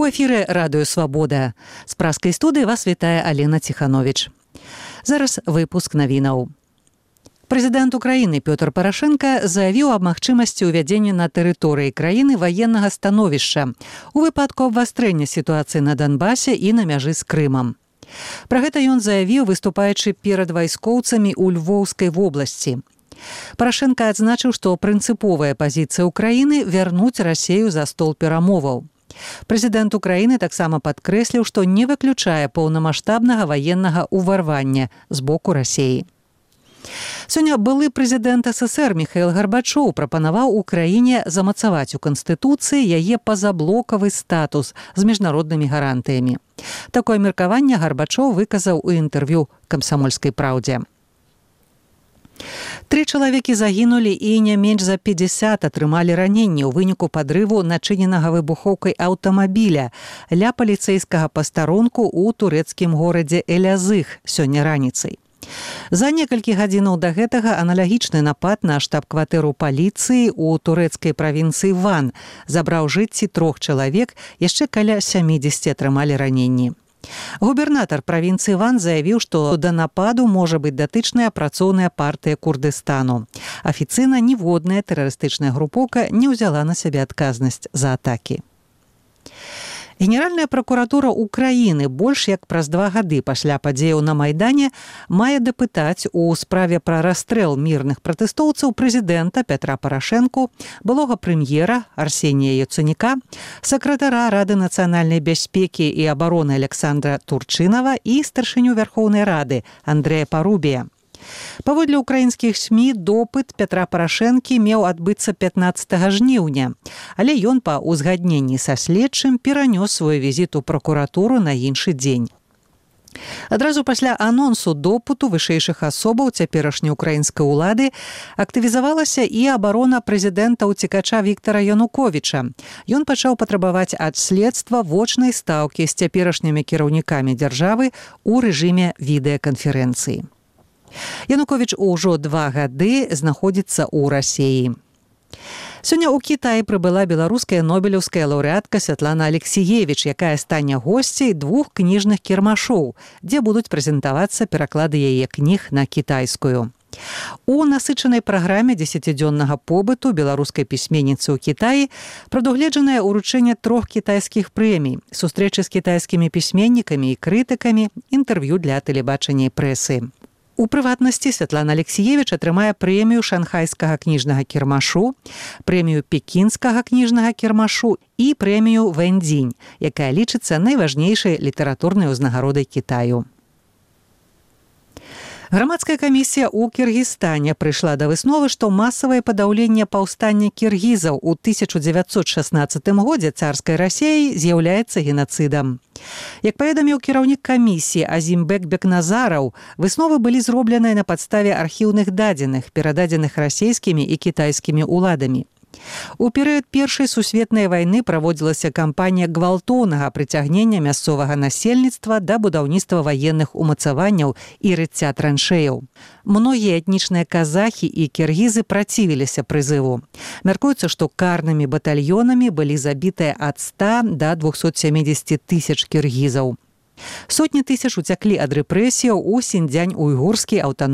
У эфіры радыё «Свабода». З праскай студыі вас вітае Алена Ціхановіч. Зараз выпуск навінаў. Прэзідэнт Украіны Пётр Парашенка заявіў аб магчымасці ўвядзення на тэрыторыі краіны ваеннага становішча у выпадку абвастрэння сітуацыі на Донбасе і на мяжы з Крымам. Пра гэта ён заявіў, выступаючы перад вайскоўцамі ў Львоўскай вобласці. Парашенка адзначыў, што прынцыповая пазіцыя ўкраіны вярнуць Расею за стол перамоваў. Прэзідэнт Украіны таксама падкрэсліў, што не выключае паўнамаштабнага ваеннага ўварвання з боку Расеі. Сёння былы прэзідэнт СССР Міхаіл Гарбачоў прапанаваў Украіне замацаваць у Канстытуцыі яе пазаблокавы статус з міжнароднымі гарантыямі. Такое меркаванне Гарбачоў выказаў у інтэрв'ю «Камсамольскай праўдзе». 3 чалавекі загінулі і не менш за 50 атрымалі раненні ў выніку падрыву начыненага выбухоўкай аўтамабіля ля паліцэйскага пастарунку ў турэцкім горадзе Элязых сёння раніцай. За некалькі гадзінаў да гэтага аналагічны напад на штаб-кватэру паліцыі ў турэцкай правінцыі Ван забраў жыцці 3 чалавек, яшчэ каля 70 атрымалі раненні. Губернатар правінцыі Ван заявіў, што да нападу можа быць датычная працоўная партыя Курдыстану. Афіцыйна ніводная тэрарыстычная групоўка не ўзяла на сябе адказнасць за атакі. Генеральная пракуратура Украіны больш як праз 2 гады пасля падзеяў на Майдане мае дапытаць у справе пра расстрэл мірных пратэстоўцаў прэзідэнта Пятра Парашэнку, былога прэм'ера Арсенія Яценюка, сакратара Рады нацыянальнай бяспекі і абароны Александра Турчынава і старшыню Вярхоўнай Рады Андрэя Парубія. Паводле украінскіх СМІ допыт Пятра Парашэнкі меў адбыцца 15 жніўня, але ён па ўзгадненні са следчым перанёс свой візіт у пракуратуру на іншы дзень. Адразу пасля анонсу допыту вышэйшых асобаў цяперашняй украінскай улады актывізавалася і абарона прэзідэнта-ўцекача Віктара Януковіча. Ён пачаў патрабаваць ад следства вочнай стаўкі з цяперашнімі кіраўнікамі дзяржавы ў рэжыме відэаканферэнцыі. Януковіч ўжо 2 гады знаходзіцца ў Расеі. Сёння ў Кітаі прыбыла беларуская нобелеўская лаўрэатка Святлана Алексіевіч, якая стане госцяй 2 кніжных кірмашоў, дзе будуць прэзентавацца пераклады яе кніг на кітайскую. У насычанай праграме 10-дзённага побыту беларускай пісьменніцы ў Кітаі прадугледжанае ўручэнне 3 кітайскіх прэмій, сустрэчы з кітайскімі пісьменнікамі і крытыкамі, інтэрв'ю для тэлебачання і прэсы. У прыватнасці Святлана Алексіевіч атрымае прэмію шанхайскага кніжнага кірмашу, прэмію пекінскага кніжнага кірмашу і прэмію Вэньцзінь, якая лічыцца найважнейшай літаратурнай узнагародай Кітаю. Грамадская камісія ў Кіргізстане прыйшла да высновы, што масавае падаўленне паўстання кіргізаў у 1916 годзе царскай Расеі з'яўляецца генацыдам. Як паведаміў кіраўнік камісіі Азімбек Бекназараў, высновы былі зробленыя на падставе архіўных дадзеных, перададзеных расейскімі і кітайскімі ўладамі. У перыяд Першай сусветнай вайны праводзілася кампанія гвалтоўнага прыцягнення мясцовага насельніцтва да будаўніцтва ваенных умацаванняў і рыцця траншэяў. Многія этнічныя казахі і кіргізы працівіліся прызыву. Мяркуецца, што карнымі батальёнамі былі забітыя ад 100 да 270 тысяч кіргізаў. Сотні тысяч уцяклі ад рэпрэсіяў у Сіньцзянь-Уйгурскі аўтаномны